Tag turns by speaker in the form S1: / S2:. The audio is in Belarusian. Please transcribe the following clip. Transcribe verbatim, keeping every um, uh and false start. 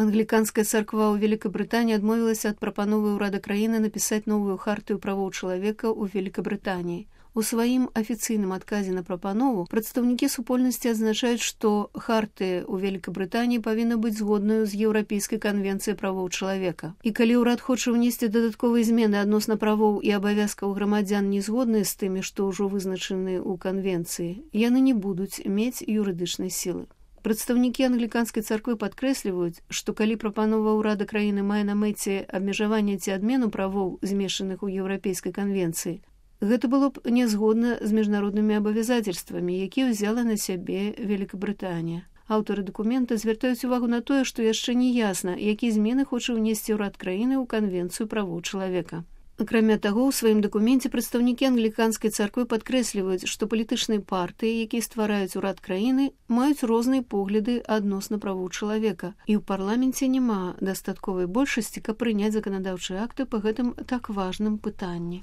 S1: Англіканская царква ў Великабрытаніі адмовілася ад прапановы ўрада краіны напісаць новую хартыю правоў чалавека ў Великабрытаніі. У сваім афіцыйным адказе на прапанову прадстаўнікі супольнасці адзначаюць, што хартыя ў Великабрытаніі павінна быць згоднаю з Еўрапейскай канвенцыяй правоў чалавека. І калі ўрад хоча ўнесці дадатковыя змены адносна правоў і абавязкаў грамадзян не згодныя з тымі, што ўжо вызначаны ў канвенцыі, яны не будуць мець юрыдычнай сілы. Прадстаўнікі англіканскай царквы падкрэсліваюць, што калі прапанова ўрада краіны мае на мэце абмежаванне ці адмену правоў, змешаных у Еўрапейскай канвенцыі, гэта было б нязгодна з міжнароднымі абавязацельствамі, якія ўзяла на сябе Великабрытанія. Аўтары дакумента звяртаюць увагу на тое, што яшчэ не ясна, якія змены хоча ўнесці ўрад краіны ў канвенцыю правоў чалавека. Акрамя таго, у сваім дакуменце прадстаўнікі англіканскай царквы падкрэсліваюць, што палітычныя партыі, якія ствараюць урад краіны, маюць розныя погляды адносна правоў чалавека, і ў парламенце няма дастатковай большасці, каб прыняць заканадаўчыя акты па гэтым так важным пытанні.